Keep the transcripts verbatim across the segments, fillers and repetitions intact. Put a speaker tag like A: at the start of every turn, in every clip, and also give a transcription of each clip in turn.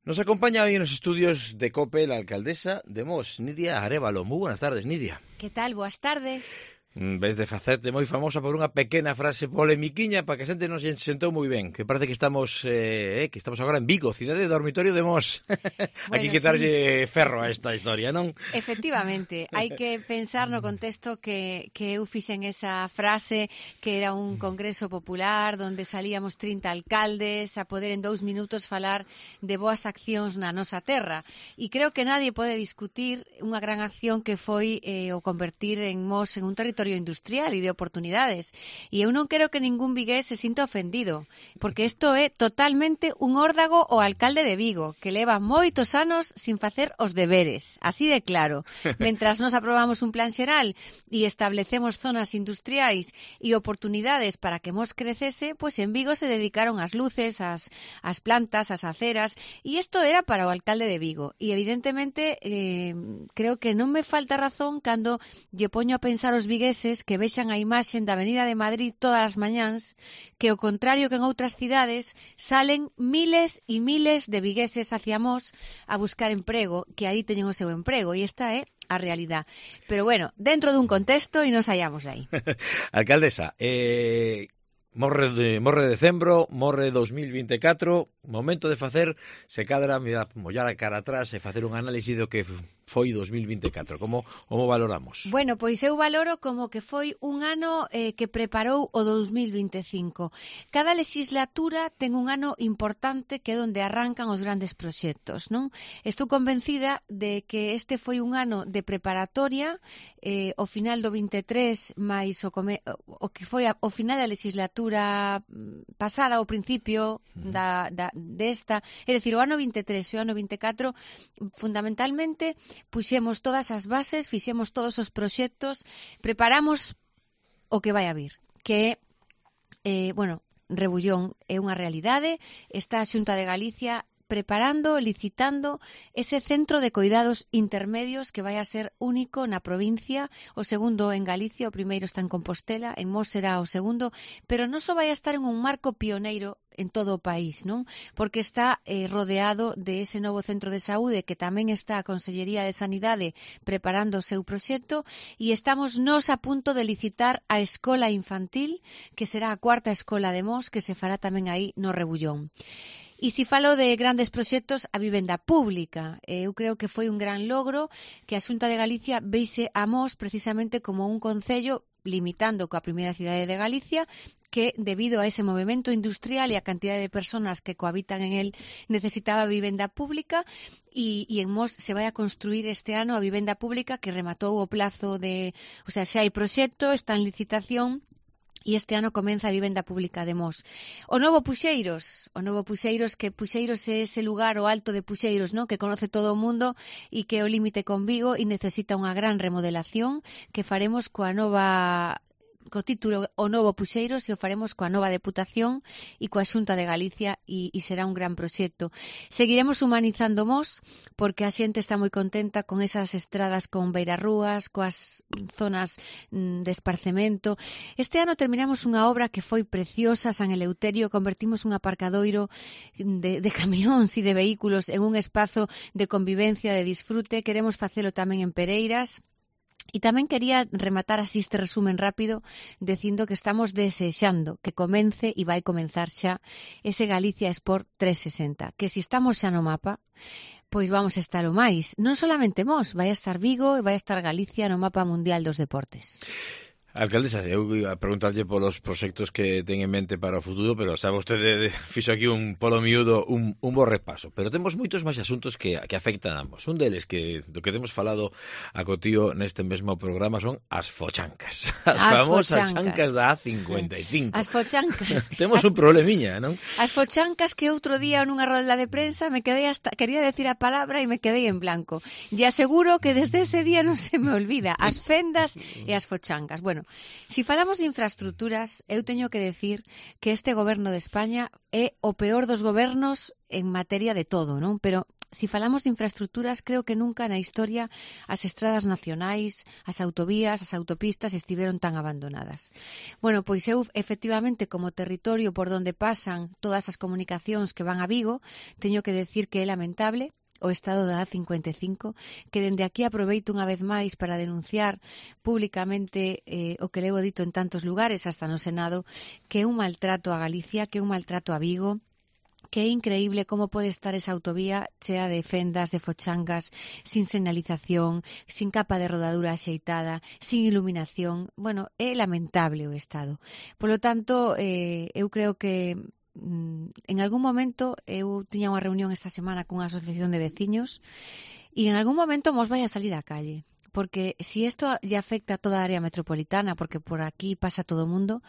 A: Nos acompaña hoy en los estudios de COPE la alcaldesa de Mos, Nidia Arévalo. Muy buenas tardes, Nidia.
B: Que tal? Boas tardes.
A: Ves de facerte moi famosa por unha pequena frase polemiquiña para que a xente nos sentou moi ben, que parece que estamos eh, que estamos agora en Vigo, cidade de dormitorio de Mos. Bueno, hai que quitarlle sí. ferro a esta historia, non?
B: Efectivamente, hai que pensar no contexto que, que eu fixen esa frase, que era un congreso popular onde salíamos trinta alcaldes a poder en dous minutos falar de boas accións na nosa terra. E creo que nadie pode discutir unha gran acción que foi eh, o convertir en Mos en un territorio industrial e de oportunidades. E eu non quero que ningún vigués se sinta ofendido, porque isto é totalmente un órdago ao alcalde de Vigo, que leva moitos anos sin facer os deberes, así de claro. Mentras nos aprobamos un plan xeral e establecemos zonas industriais e oportunidades para que Mos crecese, pois en Vigo se dedicaron as luces, as, as plantas, as aceras, e isto era para o alcalde de Vigo. E evidentemente eh, creo que non me falta razón cando lle poño a pensar os vigueses que vexan a imaxe da Avenida de Madrid todas as mañáns, que ao contrario que en outras cidades salen miles e miles de vigueses hacia Mos a buscar emprego, que aí teñen o seu emprego, e esta é a realidad. Pero bueno, dentro dun contexto e non saíamos de aí.
A: Alcaldesa, eh... Morre de morre de decembro, morre dos mil vinte e catro, momento de facer, se cadra, mollar a cara atrás e facer un análise do que foi dos mil vinte e catro. Como, como valoramos?
B: Bueno, pois eu valoro como que foi un ano eh, que preparou o dos mil vinte e cinco. Cada legislatura ten un ano importante que é onde arrancan os grandes proxectos, non? Estou convencida de que este foi un ano de preparatoria, eh, o final do vinte e tres máis o, come, o que foi a, o final da legislatura pasada, ao principio da, da, desta, é dicir, o ano vinte e tres e o ano vinte e catro, fundamentalmente puxemos todas as bases, fixemos todos os proxectos, preparamos o que vai a vir, que é, eh, bueno, Rebullón é unha realidade, está a Xunta de Galicia preparando, licitando ese centro de coidados intermedios que vai a ser único na provincia, o segundo en Galicia, o primeiro está en Compostela, en Mos será o segundo, pero non só vai a estar en un marco pioneiro en todo o país, non? Porque está eh, rodeado de ese novo centro de saúde que tamén está a Consellería de Sanidade preparando o seu proxecto, e estamos nos a punto de licitar a escola infantil, que será a cuarta escola de Mos, que se fará tamén aí no Rebullón. E se falo de grandes proxectos, a vivenda pública. Eu creo que foi un gran logro que a Xunta de Galicia veise a Mos precisamente como un concello, limitando coa primeira cidade de Galicia, que debido a ese movimento industrial e a cantidad de personas que cohabitan en él necesitaba vivenda pública, e, e en Mos se vai a construir este ano a vivenda pública que rematou o plazo de... O sea, xa hai proxecto, está en licitación, e este ano comeza a vivenda pública de Mos. O novo Puxeiros, o novo Puxeiros, que Puxeiros é ese lugar, o alto de Puxeiros, ¿no?, que conoce todo o mundo e que é o límite con Vigo e necesita unha gran remodelación que faremos coa nova... co título O Novo Puxeiros, e o faremos coa nova Deputación e coa Xunta de Galicia, e, e será un gran proxecto. Seguiremos humanizando Mos, porque a xente está moi contenta con esas estradas con beirarrúas, coas zonas mm, de esparcemento. Este ano terminamos unha obra que foi preciosa, San Eleuterio, convertimos un aparcadoiro de, de camións e de vehículos en un espazo de convivencia, de disfrute. Queremos facelo tamén en Pereiras. E tamén quería rematar así este resumen rápido dicindo que estamos desexando que comence e vai comenzar xa ese Galicia Sport trescentos e sesenta, que se estamos xa no mapa, pois vamos a estar o máis. Non solamente Mos, vai a estar Vigo e vai a estar Galicia no mapa mundial dos deportes.
A: Alcaldesa, eu iba a preguntarlle polos proxectos que ten en mente para o futuro, pero sabe vostede, fixo aquí un polo miúdo, un, un bo repaso. Pero temos moitos máis asuntos que, que afectan a ambos. Un deles, que do que temos falado a Cotío neste mesmo programa, son as fochancas. As, as famosas fochancas da A cincuenta e cinco.
B: As fochancas.
A: Temos
B: as,
A: un problemiña, non?
B: As fochancas que outro día nunha rolda de prensa me quedei hasta, quería decir a palabra e me quedei en blanco. E aseguro que desde ese día non se me olvida. As fendas e as fochancas. Bueno, si falamos de infraestructuras, eu teño que decir que este goberno de España é o peor dos gobernos en materia de todo, non? Pero Si falamos de infraestructuras, creo que nunca na historia as estradas nacionais, as autovías, as autopistas estiveron tan abandonadas. Bueno, pois eu, efectivamente, como territorio por donde pasan todas as comunicacións que van a Vigo, teño que decir que é lamentable o estado da A cincuenta e cinco, que dende aquí aproveito unha vez máis para denunciar públicamente eh, o que levo dito en tantos lugares, hasta no Senado, que é un maltrato a Galicia, que é un maltrato a Vigo, que é increíble como pode estar esa autovía chea de fendas, de fochangas, sin señalización, sin capa de rodadura axeitada, sin iluminación. Bueno, é lamentable o estado. Polo tanto, eh, eu creo que en algún momento, eu tiña unha reunión esta semana cunha asociación de veciños e en algún momento mos vai a salir á calle. Porque si isto lle afecta a toda a área metropolitana, porque por aquí pasa todo o mundo,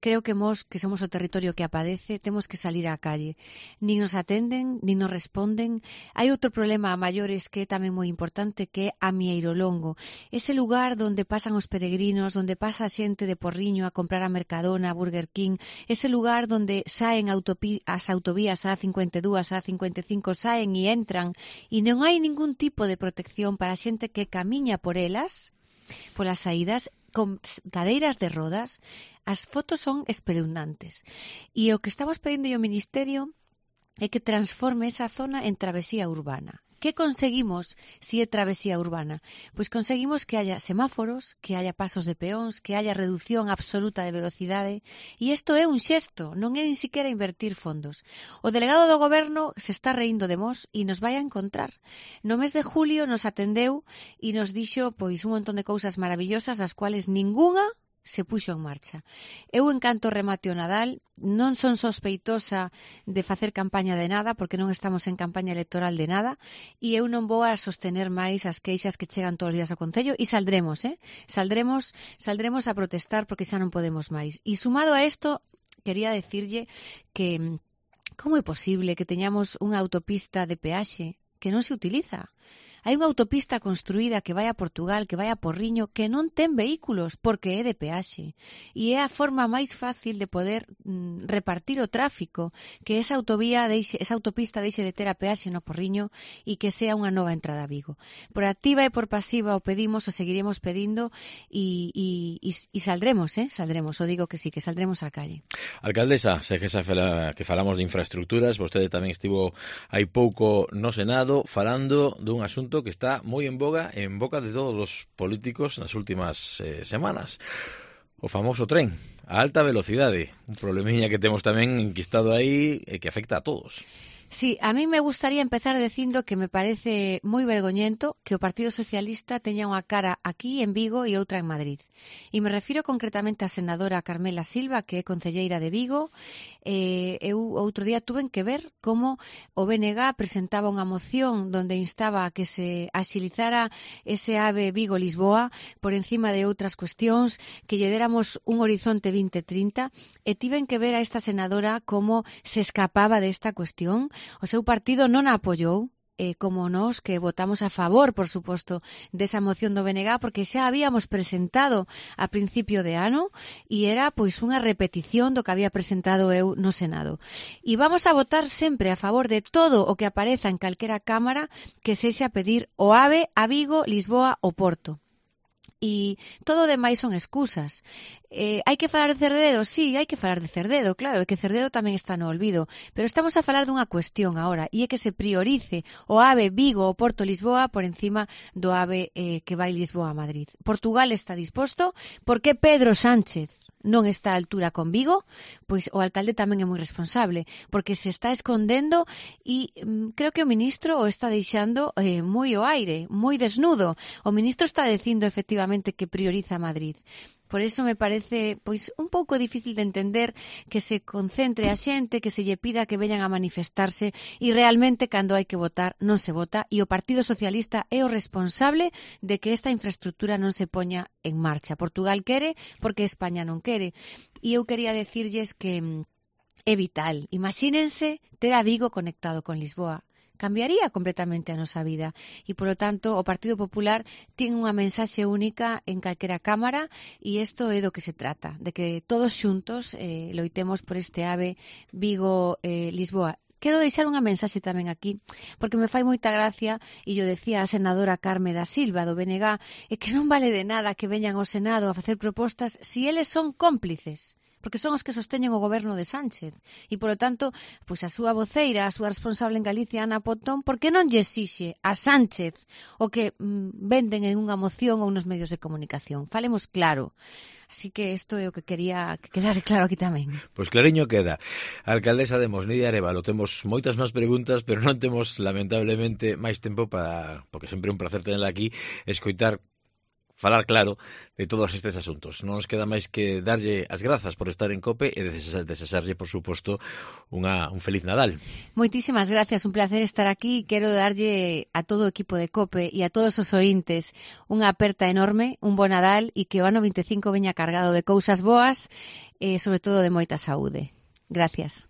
B: creo que mos, que somos o territorio que apadece, temos que salir á calle. Nin nos atenden, nin nos responden. Hai outro problema a maiores que é tamén moi importante, que é a Mieirolongo. Ese lugar onde pasan os peregrinos, onde pasa a xente de Porriño a comprar a Mercadona, a Burger King, ese lugar onde saen autopi- as autovías a cincuenta e dúas, a cincuenta e cinco, saen e entran, e non hai ningún tipo de protección para a xente que camiña por por elas, polas saídas, con cadeiras de rodas. As fotos son espeluznantes. E o que estamos pedindo ao Ministerio é que transforme esa zona en travesía urbana. Que conseguimos si é travesía urbana? Pois conseguimos que haya semáforos, que haya pasos de peóns, que haya reducción absoluta de velocidade, e isto é un xesto, non é nin siquiera invertir fondos. O delegado do goberno se está reindo de mos e nos vai a encontrar. No mes de julio nos atendeu e nos dixo pois un montón de cousas maravillosas das cuales ningunha se puxo en marcha. Eu, en canto remate o Nadal, non son sospeitosa de facer campaña de nada, porque non estamos en campaña electoral de nada, e eu non vou a sostener máis as queixas que chegan todos os días ao Concello, e saldremos, eh? Saldremos, saldremos a protestar porque xa non podemos máis. E sumado a isto, quería decirlle que como é posible que teñamos unha autopista de peaxe que non se utiliza? Hai unha autopista construída que vai a Portugal, que vai a Porriño, que non ten vehículos porque é de peaxe. E é a forma máis fácil de poder mm, repartir o tráfico, que esa autovía, deixe, esa autopista deixe de ter a peaxe no Porriño e que sea unha nova entrada a Vigo. Por activa e por pasiva o pedimos, o seguiremos pedindo e, e, e, e saldremos, eh? Saldremos, o digo que sí, que saldremos á calle.
A: Alcaldesa, sei que, xa fala, que falamos de infraestructuras, vostede tamén estivo hai pouco no Senado falando dun asunto que está moi en boga en boca de todos os políticos nas últimas eh, semanas. O famoso tren, a alta velocidade, un problemiña que temos tamén enquistado aí e que afecta a todos.
B: Sí, a mí me gustaría empezar dicindo que me parece moi vergoñento que o Partido Socialista teña unha cara aquí en Vigo e outra en Madrid. E me refiro concretamente á senadora Carmela Silva, que é concelleira de Vigo. Eh, eu outro día tuven que ver como o B N G presentaba unha moción donde instaba a que se axilizara ese AVE Vigo-Lisboa por encima de outras cuestións, que lle déramos un horizonte vinte trinta, e tiven que ver a esta senadora como se escapaba desta cuestión. O seu partido non a apoiou, eh, como nós que votamos a favor, por suposto, desa moción do B N G, porque xa habíamos presentado a principio de ano e era pois unha repetición do que había presentado eu no Senado. E vamos a votar sempre a favor de todo o que apareza en calquera cámara que sexa pedir o AVE a Vigo, Lisboa ou Porto. E todo o demais son excusas. Eh, hai que falar de Cerdedo? Sí, hai que falar de Cerdedo, claro, é que Cerdedo tamén está no olvido, pero estamos a falar dunha cuestión agora, e é que se priorice o AVE Vigo ou Porto Lisboa por encima do AVE eh, que vai Lisboa a Madrid. Portugal está disposto, por que Pedro Sánchez non está a altura con Vigo? Pois o alcalde tamén é moi responsable, porque se está escondendo e mm, creo que o ministro o está deixando eh, moi ao aire, moi desnudo. O ministro está dicindo efectivamente que prioriza Madrid. Por eso me parece pois un pouco difícil de entender que se concentre a xente, que se lle pida que veñan a manifestarse e realmente cando hai que votar non se vota, e o Partido Socialista é o responsable de que esta infraestructura non se poña en marcha. Portugal quere porque España non quere. E eu quería decirlles que é vital. Imagínense ter a Vigo conectado con Lisboa. Cambiaría completamente a nosa vida e, polo tanto, o Partido Popular ten unha mensaxe única en calquera cámara e isto é do que se trata, de que todos xuntos eh, loitemos por este AVE Vigo-Lisboa. Eh, quero deixar unha mensaxe tamén aquí, porque me fai moita gracia, e yo decía a senadora Carme da Silva do B N G, é que non vale de nada que veñan ao Senado a facer propostas si eles son cómplices, porque son os que sosteñen o goberno de Sánchez. E, polo tanto, pois a súa voceira, a súa responsable en Galicia, Ana Pontón, por que non lle exixe a Sánchez o que mm, venden en unha moción ou nos medios de comunicación? Falemos claro. Así que isto é o que quería que quedase claro aquí tamén.
A: Pois clariño queda. A alcaldesa de Mos, Nidia Arévalo, temos moitas máis preguntas, pero non temos, lamentablemente, máis tempo para, porque sempre é un placer tenerla aquí, escoitar falar claro de todos estes asuntos. Non nos queda máis que darlle as grazas por estar en COPE e desexarlle, por suposto, unha, un feliz Nadal.
B: Moitísimas gracias, un placer estar aquí. Quero darlle a todo o equipo de COPE e a todos os ointes unha aperta enorme, un bo Nadal e que o ano vinte e cinco veña cargado de cousas boas e, sobre todo, de moita saúde. Gracias.